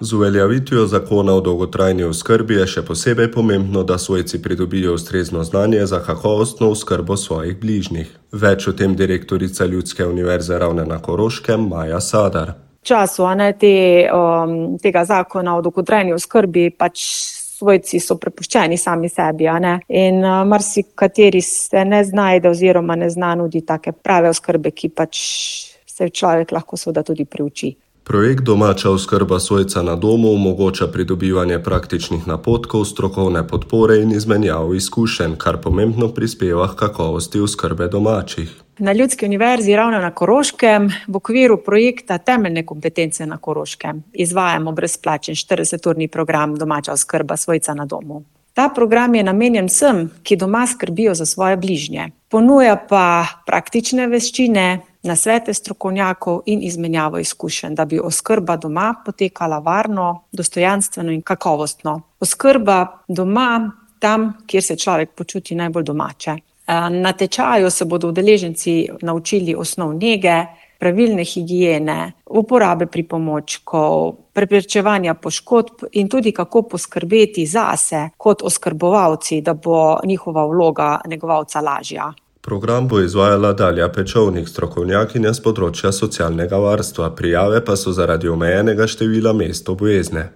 Z uveljavitvijo zakona o dolgotrajni oskrbi je še posebej pomembno, da svojci pridobijo ustrezno znanje za kakovostno oskrbo svojih bližnjih. Več o tem direktorica Ljudske univerze Ravne na Koroškem Maja Sadar. V času tega zakona o dolgotrajni oskrbi svojci so prepuščeni sami sebi, in marsikateri se ne znajde oziroma ne zna nuditi take prave oskrbe, ki se človek lahko seveda tudi priuči. Projekt Domača oskrba svojca na domu omogoča pridobivanje praktičnih napotkov, strokovne podpore in izmenjavo izkušenj, kar pomembno prispeva k kakovosti oskrbe domačih. Na Ljudski univerzi Ravne na Koroškem v okviru projekta Temeljne kompetence na Koroškem izvajamo brezplačen 40-urni program Domača oskrba svojca na domu. Ta program je namenjen vsem, ki doma skrbijo za svoje bližnje. Ponuja pa praktične veščine, nasvete strokovnjakov in izmenjavo izkušenj, da bi oskrba doma potekala varno, dostojanstveno in kakovostno. Oskrba doma tam, kjer se človek počuti najbolj domače. Na tečaju se bodo udeleženci naučili osnov nege, pravilne higiene, uporabe pripomočkov, preprečevanja poškodb in tudi kako poskrbeti zase kot oskrbovalci, da bo njihova vloga negovalca lažja. Program bo izvajala Dalja Pečovnik, strokovnjakinja s področja socialnega varstva, prijave pa so zaradi omejenega števila mest obvezne.